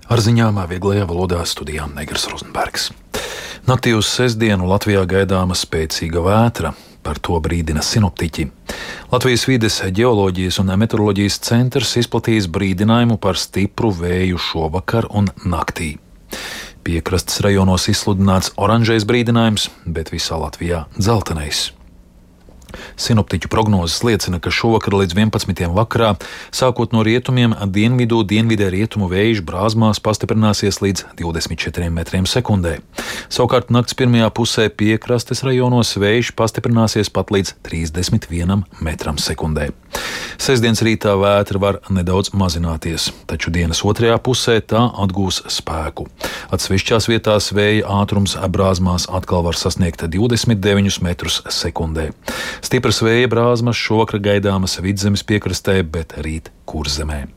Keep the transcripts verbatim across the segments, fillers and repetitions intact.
Ar ziņām vieglajā valodā studijā Negras Rozenbergs. Naktī uz sestdienu Latvijā gaidāma spēcīga vētra. Par to brīdina sinoptiķi. Latvijas vides ģeoloģijas un meteoroloģijas centrs izplatījis brīdinājumu par stipru vēju šovakar un naktī. Piekrastes rajonos izsludināts oranžais brīdinājums, bet visā Latvijā dzeltenais. Sinoptiķu prognozes liecina, ka šovakar līdz vienpadsmitiem vakarā, sākot no rietumiem, dienvidu, dienvidē rietumu vējš Brāzmās pastiprināsies līdz divdesmit četriem metriem sekundē. Savukārt nakts pirmajā pusē piekrastes rajonos vējš pastiprināsies pat līdz trīsdesmit vienam metram sekundē. Sestdienas rītā vētra var nedaudz mazināties, taču dienas otrajā pusē tā atgūs spēku. Atsevišķās vietās vēja ātrums Brāzmās atkal var sasniegt divdesmit deviņus metrus sekundē. Stipras vēja brāzmas šovakar gaidāmas Vidzemes piekrastē, bet rīt Kurzemē.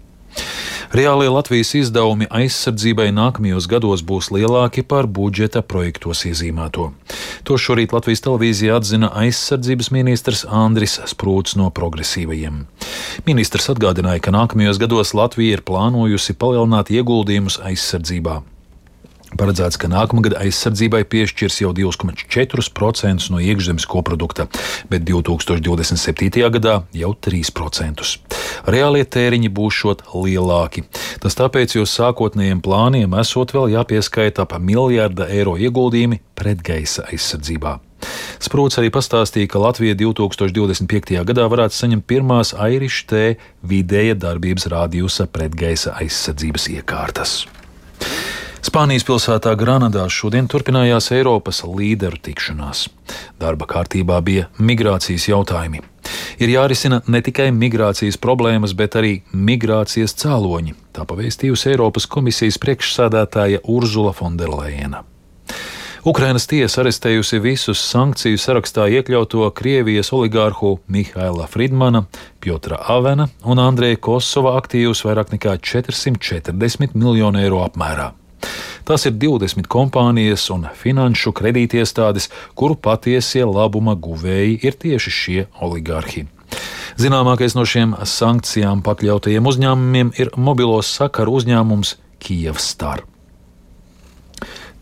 Reālie Latvijas izdevumi aizsardzībai nākamajos gados būs lielāki par budžeta projektos iezīmēto. To šorīt Latvijas televīzijā atzina aizsardzības ministrs Andris Sprūts no Progresīvajiem. Ministrs atgādināja, ka nākamajos gados Latvija ir plānojusi palielināt ieguldījumus aizsardzībā. Paredzēts, ka nākamgad aizsardzībai piešķirs jau divi komats četri procenti no iekšzemes koprodukta, bet divi tūkstoši divdesmit septītajā gadā jau trīs procenti. Reālie tēriņi būšot lielāki. Tas tāpēc, jo sākotnējiem plāniem esot vēl jāpieskaita ap miljarda eiro ieguldījumi pretgaisa aizsardzībā. Sprūts arī pastāstīja, ka Latvija divi tūkstoši divdesmit piektajā gadā varētu saņemt pirmās Irish T vidēja darbības rādījusa pretgaisa aizsardzības iekārtas. Spānijas pilsētā Granadā šodien turpinājās Eiropas līderu tikšanās. Darba kārtībā bija migrācijas jautājumi. Ir jārisina ne tikai migrācijas problēmas, bet arī migrācijas cēloņi, tā pavēstījusi Eiropas komisijas priekšsēdētāja Urzula Fonderlejena. Ukrainas tiesa arestējusi visus sankciju sarakstā iekļauto Krievijas oligārhu Mihaila Fridmana, Pjotra Avena un Andreja Kosova aktīvus vairāk nekā četrsimt četrdesmit miljonu eiro apmērā. Tās ir divdesmit kompānijas un finanšu kredītiestādes, kuru patiesie labuma guvēji ir tieši šie oligārhi. Zināmākais no šiem sankcijām pakļautajiem uzņēmumiem ir mobilos sakaru uzņēmums Kyivstar.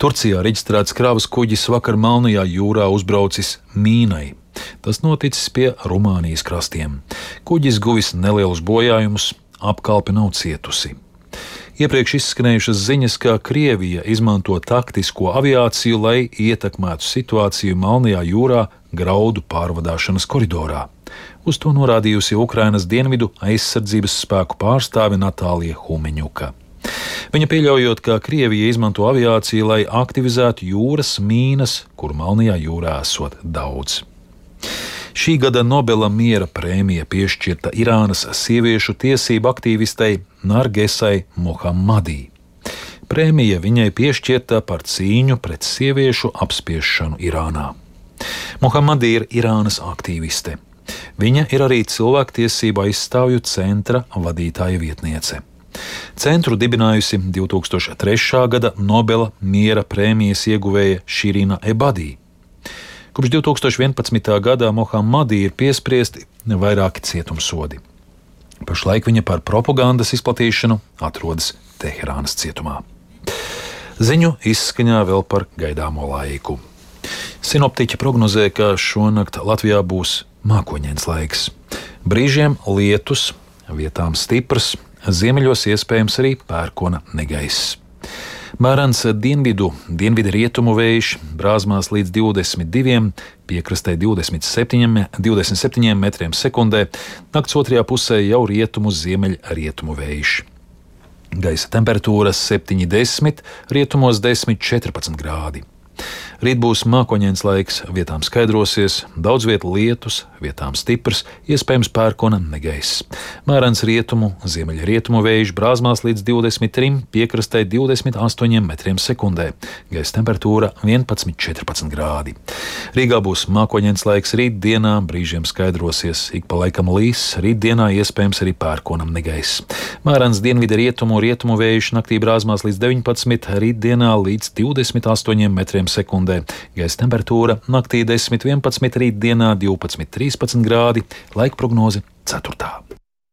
Turcijā reģistrēts kravas kuģis vakar Melnajā jūrā uzbraucis mīnai. Tas noticis pie Rumānijas krastiem. Kuģis guvis nelielus bojājumus, apkalpe nav cietusi. Iepriekš izskanējušas ziņas, ka Krievija izmanto taktisko aviāciju, lai ietekmētu situāciju Melnajā jūrā graudu pārvadāšanas koridorā. Uz to norādījusi Ukrainas dienvidu aizsardzības spēku pārstāve Natālija Humeņuka. Viņa pieļaujot, ka Krievija izmanto aviāciju, lai aktivizētu jūras mīnas, kur Melnajā jūrā esot daudz. Šī gada Nobela miera prēmija piešķirta Irānas sieviešu tiesību aktīvistei Nargesai Mohammadī. Prēmija viņai piešķirta par cīņu pret sieviešu apspiešanu Irānā. Mohammadī ir Irānas aktīviste. Viņa ir arī cilvēktiesību aizstāvju centra vadītāja vietniece. Centru dibinājusi divi tūkstoši trešā gada Nobela miera prēmijas ieguvēja Širina Ebadī. Kopš divi tūkstoši vienpadsmitā gadā Mohammadī ir piespriesti vairāki cietumsodi. Pašlaik viņa par propagandas izplatīšanu atrodas Teherānas cietumā. Ziņu izskaņā vēl par gaidāmo laiku. Sinoptiķi prognozē, ka šonakt Latvijā būs mākoņains laiks. Brīžiem lietus, vietām stiprs, ziemeļos iespējams arī pērkona negaiss. Mērens dienvidu, dienvidu rietumu vējš, Brāzmās līdz divdesmit diviem, piekrastē divdesmit septiņiem metriem sekundē, nakts otrajā pusē jau rietumu ziemeļ rietumu vējš. Gaisa temperatūra septiņi desmit, rietumos desmit četrpadsmit grādi. Rīt būs mākoņains laiks, vietām skaidrosies, daudz viet lietus, vietām stiprs, iespējams pērkona negaiss. Mērens rietumu, ziemeļa rietumu vējš, Brāzmās līdz divdesmit trim, piekrastē divdesmit astoņiem metriem sekundē. Gaisa temperatūra vienpadsmit četrpadsmit grādi. Rīgā būs mākoņains laiks rītdienā, brīžiem skaidrosies, ik pa laikam līs, rītdienā iespējams arī pērkonam negaiss. Mērens dienvidu rietumu, rietumu vējš, naktī Brāzmās līdz deviņpadsmit, rītdienā līdz divdesmit astoņiem metriem sekundē. Gaisa temperatūra naktī desmit vienpadsmit, rītdienā divpadsmit trīspadsmit grādi, laika prognoze ceturtā.